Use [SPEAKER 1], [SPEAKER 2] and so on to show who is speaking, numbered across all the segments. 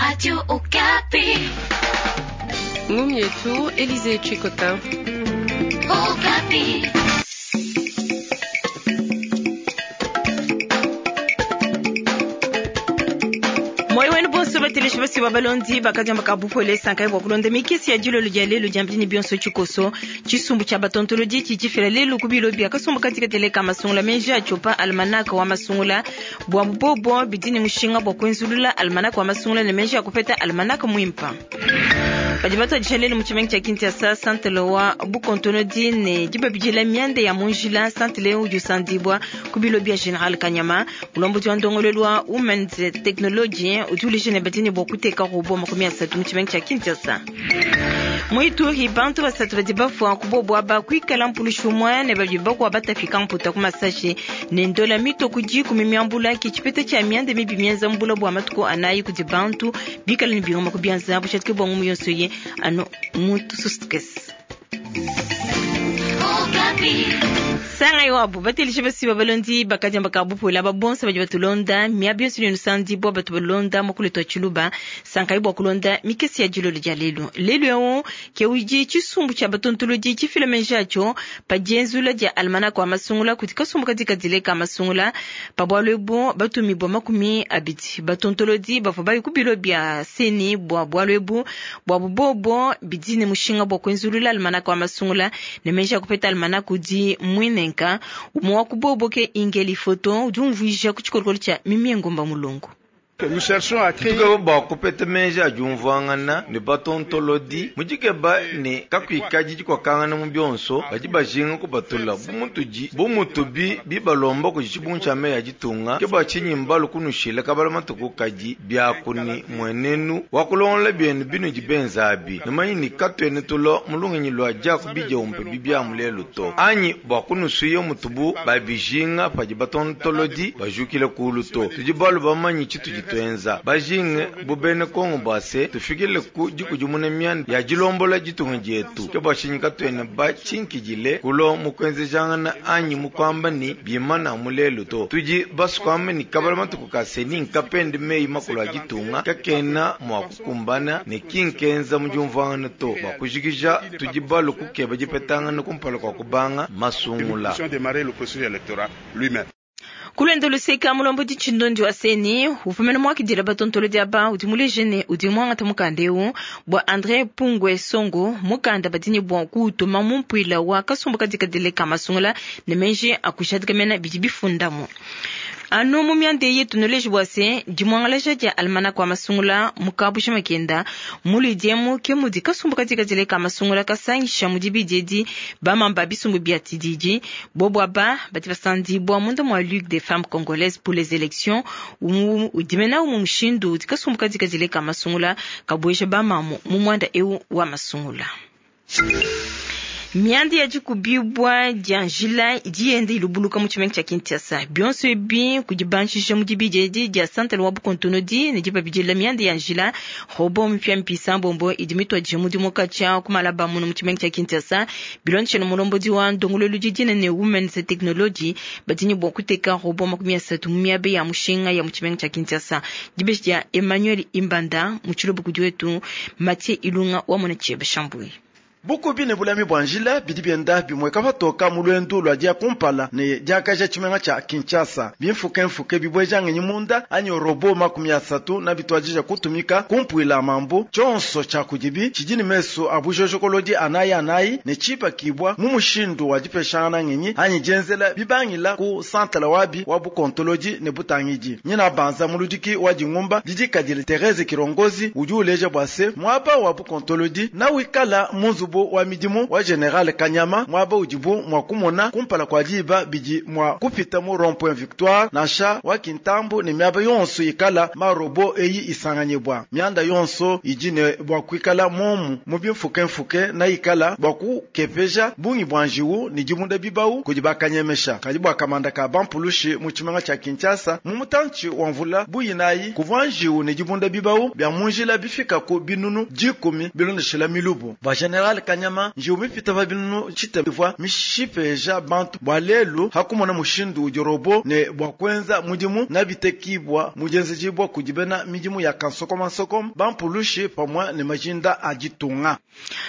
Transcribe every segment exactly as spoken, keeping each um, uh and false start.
[SPEAKER 1] Radio Okapi.
[SPEAKER 2] Mumietu, Élisée Chikota.
[SPEAKER 1] Okapi.
[SPEAKER 3] Moyo wenu bonso bateleshi basi ba balondi bakadiamba ka bupole sankai bwa kulonda mikesi ya dilolo dia lelo dia mbini bionso tshikoso tshisumbu tshia batontolodi tshitshifila lelu ku bilo bia kasumbu katika teleka masungula menji atshopa almanaka wa masungula bwa bubobo bidi ne mushinga bwa kuenzulula almanaka wa masungula ne menji akupeta almanaka muimpa badi batuadija lelu mu tshimenga tshia Kinshasa santele wa bukontonodi ne dibabidila mianda ya munjila santele udi usandibwa ku bilo bia General Kanyama mulombodi wa ndongolelu wa Women's Technology udi uleja ne badi ne bua kuteka robo makumi asatu mu tshimenga tshia Kinshasa. Muituri bantu basatu badi bafua kubobo aba kuikala mpulushi umue ne babidi bakuwa batafika mputa ku masashi ne ndola mito ku dikumi miambula ki tshipeta tshia mianda mibi mienza mbula bua matuku anayi kudi bantu bikala ne bingoma ku bianza bushatike bua ngumu yonso ye anu muntu sustukesi.
[SPEAKER 1] Okapi.
[SPEAKER 3] Sanga iwabu batelishe basi balondi bakadiamba ka bupula babonsa badi batulonda miabi yonso ne sandi bo batu balonda mokule twa tshiluba sankai bwa kulonda mikesi ya dilolo dia lelu lelu yawo ke uji tshisumbu tshia batontolodi tshifila menji atshio pa dienzula dia almanaka wa masungula kuti kasumbu katika dileka masungula pa bwalu ebu batumibwa makumi abidi batontolodi bavua bayi ku bilo bia seni bwa bwalu ebu bwa bubobo bidi ne mushinga bwa kuenzulula almanaka wa masungula ne menji akupeta almanaka udi mwinenka umwe wa kubobo ke ingeli foto udi umvuija ku tshikolokolo tshia mimi ngomba mulungu.
[SPEAKER 4] Nous cherchons à créer
[SPEAKER 5] Tukeba bua kupeta menji a diumvuangana ne batontolodi mudikeba ne kakuikadi dikuakangana mu bionso badi bajinga kubatula bumutudi bumutubi bibalomba kudi tshibungu tshia meyi ya ditunga ke bua tshinyi mbalu kunushila kabala matuku kadi biakuni muenenu wa kulongola bienu binudi benza abi numanyi ni katuene tulo mulungenyi lua diaku bidiompe bibiamu lelu to anyi bua kunusuya mutubu babijinga padi batontolodi bajukile kulu to tudi balu bamanyi tshitudi tuenza bajinge bubene Kongo bwase tufikile ku dikudimuna mianda ya dilombola ditunga dietu ke bua tshinyi katuene batshinkidile kulo mukuenzejangana anyi mukuamba ni bimana mulelu to tudi basukuamba ni kabala matuku kase ni nkapende meyi makulu a ditunga kakena mua kukumbana ne kinkenza mu diumvuangana to bua kujikija tudi balu kukeba dipetangana kumpala kua kubanga masungula.
[SPEAKER 4] Nous puissions démarrer le processus électoral lui-même.
[SPEAKER 3] Kulwendo luseka mulombodi tshindondi wa seni ufumene mwakidila batontolodi aba udi muleje ne udi mwangata mukanda eu bua André Pungwe Songo mukanda badini bua kuutuma mu mpuila wa kasumbu kadikadile ka masungula ne menji akushadika mena bidi bifundamu. Anu mu mianda yetu nuleje bua se dimwangalaja dia almanaka wa masungula mukabusha makenda muludiemu ke mudi kasumbu kadikadile ka masungula kasangisha mudi bidiedi bamamba bisumbu bia tididi bobo aba badi basandibwa munda mua Ligue des femmes congolaises pour les élections umu udimena umu mushindu udi kasumbu kadikadile ka masungula kabuesha bamamu mu mwanda eu wa masungula. Mianda ya dikubibwa dia njila idi yenda ilubuluka mu tshimenga tshia Kinshasa bionso ebi kudibanshisha mu dibidi dia santele wa bukontonodi ne dibabidila mianda ya njila robo mpya mpisa mbombo idi mituadije mudimu katshia kumalaba muno mu tshimenga tshia Kinshasa bilondeshele mulombodi wa ndongololu didina ne Women's Technology badi ne bua kuteka robo makumi asatu mu miaba ya mushinga ya mu tshimenga tshia Kinshasa dibeji dia Emmanuel Imbanda mu tshilobo kudi wetu Mathieu Ilunga wa mona tshiebe Shambui.
[SPEAKER 6] Bukubi ne bulami bua njila bidi bienda bimweka patoka mu lwendu lua dia kumpala ne diakaja tshimenga tshia Kinshasa bimfukemfuke bibweja ngenyi munda anyi robo makumi asatu na bituadija kutumika kumpuila mambu tshonso tshia kudibi tshidi ne mesu a bujojokolodi anayi anayi ne tshipakibwa mu mushindu wa dipeshangana ngenyi anyi dienzela bibangila ku santala wabi wa bukontolodi ne butangidi nyina banza muludiki wa dingumba didikadile Therese Kirongozi udi uleja bua se muaba wa bukontolodi na wikala mu nzubu wa midimu wa General Kanyama mwaba udibu mwa kumona kumpala kwa diba bidi mwa kupita mu rond-point Victoire nansha wa Kintambo ne miaba yonso ikala marobo eyi isanganyibwa mianda yonso idi ne bua kuikala momu mu bimfukemfuke na ikala bua kukepeja bungi bua njiwu ne dibunda bibau kudi bakanyemesha kadi bua kamanda ka bampulushi mu tshimenga tshia Kinshasa mu mutantshi wa mvula buyinayi kuvua njiwu ne dibunda bibau bia munjila bifika ku binunu dikumi bilondeshela milubu bua General Kanyama njiwu mipita pa binunu tshitema mishipeja bantu bwa lelu hakumona mushindu udi robot ne bwa kwenza mudimu na bitekibwa mujenzejibwa kudibena midimu ya kansokoma nsokoma bampulushi pamwe ne majinda ajitunga.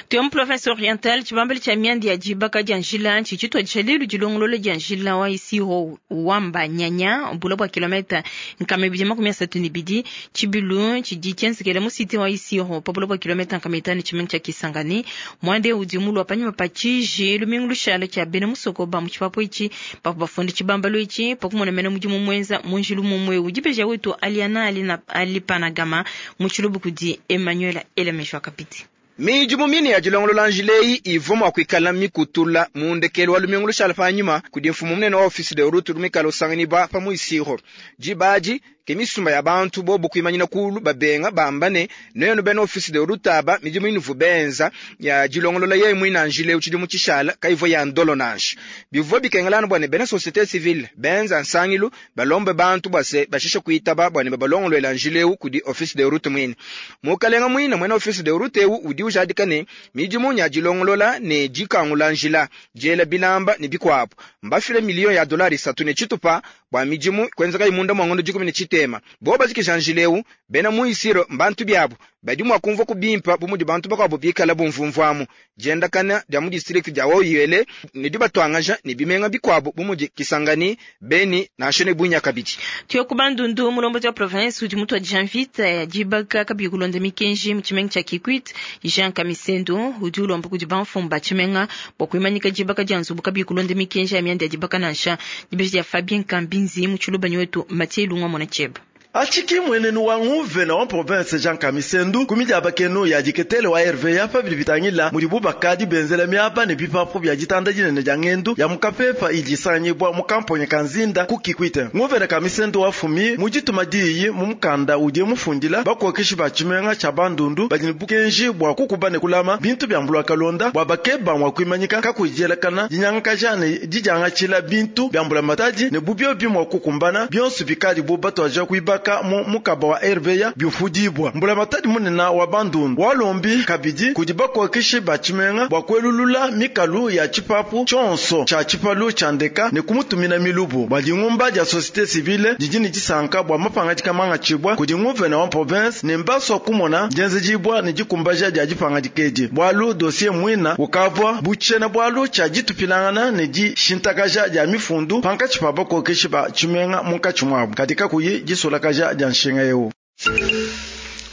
[SPEAKER 3] Tuya mu province orientale tshibambeli tshia miandi ya dibaka dia njila tshitshitwa dishalilu dilongolola dia njila wa Isiro wamba nyanya bula bwa kilometa nkama ibidi makumi asatu ne bidi tshibilu tshidi tshienzekela mu cité wa Isiro pa bula bwa kilometa nkama itanu tshimenga tshia Kisangani mwande udi mulwa panyima pa tshiji lumingu lushala tshia bena musoko ba mu tshipapu itshi bavua bafunde tshibambalu itshi pakumona mena mudimu muenza mu njilu mumue udi wetu Aliana Alina Alipanagama mu tshilubu kudi Emmanuel Elemeshwa Kapiti.
[SPEAKER 2] Midimu mine ya dilongolola njileyi ivua mua kuikala mikutula mu ndekelu wa lumingu lushala panyima kudi mfumu munene wa office de route lumikala usanganibwa pa mu Isiro dibadi ke misumba ya bantu bobu kuimanyina kulu babenga bamba ne nenu bena office de route aba midimu inuvu benza ya dilongolola yeye mwina njile utshidimu tshishala kaivua ya ndolo nansha bivua bikengelana bua ne bena société civile benza nsangilu balombe bantu bua se bashishe kuitaba bua ne babalongoluela njileu kudi office de route mwine mukalenga mwina mwena office de route eu udi ujadika ne midimu nya dilongolola ne dikangula njila diela bilamba ne bikuabu mbafile miliyo ya dolari isatu ne tshitupa bua midimu kwenzeka imunda mwa ngondo dikumi ne tshitema bo bazikija njileu bena mu Isiro mbantu biabu badi mua kumvua kubimpa bu mudi bantu bakuabu bikala bumvumvuamu diendakana dia mu district dia Haut-Uele ne dibatuangaja ne bimenga bikuabu bu mudi Kisangani, Beni nansha ne Bunia kabidi.
[SPEAKER 3] Tuya ku Bandundu mulombodi wa province udi mutu wa Jean-Vite ya dibaka kabiyi kulonda mikenji mu tshimenga tshia Kikwit Jean Kamisendo udi ulomba kudi bamfumu ba tshimenga bua kuimanyika dibaka dia nzubu kabiyi kulonda mikenji ya mianda ya dibaka nansha dibeji dia Fabien Kambinzi mu tshilubanyi wetu Mathieu Lungwa mona tshieba.
[SPEAKER 6] Achiki mwenenu wa nguvena wa province Jean Kamisendu kumidi abakenu ya diketele wa R V A pa bidi bitangila mudi bubakadi benzela miaba ne bipapu bya ditanda dinene dia ngendu ya mukapepa idisanyibwa mu kamponye kanzinda ku Kikwite. Nguvena Kamisendu wa fumi mujituma diyi mu mukanda udi mufundila bakokeshi ba tshimenga tsha Bandundu badi ne bukenji bwa kukuba ne kulama bintu bya mbulwa kalonda bwa bakeba mwa kuimanyika kakujelakana dinyangakaja ne dijangatshila bintu bya mbula matadi ne bubyo bimwa kukumbana byonso bikadi bu batwaja kuibaka mu mukaba wa R V A byufudibwa mbula matadi munena wa Bandundu walombi kabidi kudi bakokeshi ba tshimenga bwa kwelulula mikalu ya tshipapu tshonso tsha tshipalu tsha ndeka ne kumutumina milubu bwa dingumba dia société civile didi ne disanka bwa mapangadika mangatshibwa kudi nguvena wa province ne mbaswa kumona dienzejibwa ne dikumbaja dia dipangadika edi bwalu dossier mwina ukavwa butshena bwalu tsha ditupilangana ne dishintakaja dia mifundu pankatshi pa bakokeshi ba tshimenga munkatshi mwabu katika kuyi disolakaja dia nshinga eu.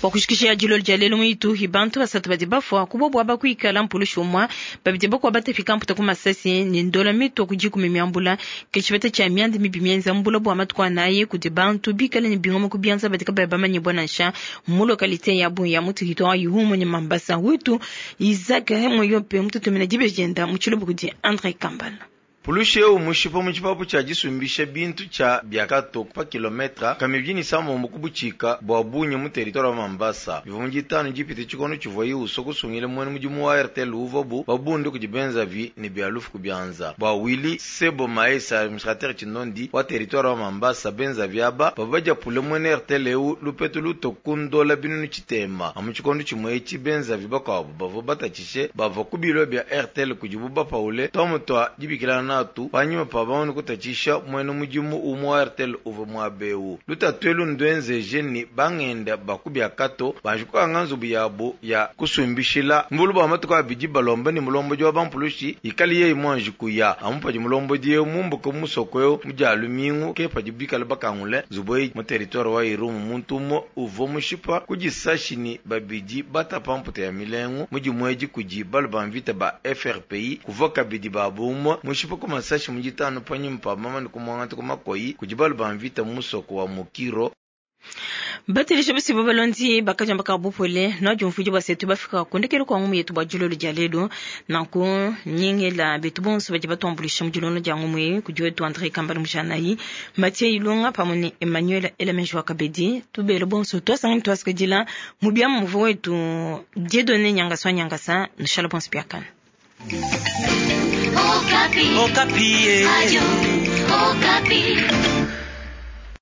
[SPEAKER 3] Wakushikisha dilolo dia lelo muitu hibantu basatu badi bafua kubobwa bakuikala mpulushi umwa babidi bakwa batafika mputa ku masasi ne ndola mito kudikumi miambula ke tshibeta tshia miandi mibi mienza mbula bua matuku anayi kudi bantu bikale ne bingoma ku bianza badi kabayi bamanye bua nansha mu localité ya Bunia mu territoire Ihumu ne Mambasa wetu Isaac Moyope mututumina dibeji dienda mu tshilubu kudi André Kambala.
[SPEAKER 5] Pulushi eu mushipa mu tshipapu tshia disumbisha bintu tshia biakato pa kilometra kamibini samombo kubuchika bua Bunia mu territoire wa Mambasa bivua mu ditanu dipite tshikondo tshivua uso kusungile mwene mudimu wa R T L uvuabu babunde kudi benzavi ne bia lufu ku bianza bua Willy Sebo Maesa administrateur tshinondi wa territoire wa Mambasa benzavi aba bavua badiapule mwene R T L eu lupetu lutokundola binunu tshitema amu tshikondo tshimue etshi benzavi bakuabu bavua batatshishe bavua ku bilo bia R T L kudibu bapaule tuamu tua dibikilana tu panyima pa bamane kutatshisha mwene mudimu umwe wa R T L uvua muabewu lutatwelu ndwenzeje ni bangenda bakubiakato banjikukanga nzubu yabo ya kusumbishila mbulu bwa matuku abidi balomba ni mulombodi wa bampulushi ikali yeyi mwanji kuya amu padi mulombodi yewu mumbuka musoko ewu mudia lumingu ke padi bikala bakangule nzubu eyi mu territoire wa Irumu muntu umwe uvua mushipa kudisashi ni babidi batapa mputa ya milengu mudimu edi kudi balu ba mvita ba F R P I kuvua kabidi babumwe mushipa ku masashi mujitano panyima pa mama ni kumwangata ku makoyi kudi balu ba mvita musoko wa Mukiro.
[SPEAKER 3] Batelesha basi babalondi bakajamba ka bupole na jumfuji basetu bafika kundekelo kwa ngumu yetu bajulolo dia lelo nanku nyingela betu bonso baje batombulisha mujulolo dia ngumu yetu kudi wetu André Kambala Mujanayi Mathieu Ilunga pamwe ne Emmanuel Elemejwa Kabedi tubelo bonso twasanga twasikadila mubia muvu wetu Dieudonné Nyangasa Nyangasa nshala bonso piakana.
[SPEAKER 1] Okapi. Okapi. Radio Okapi.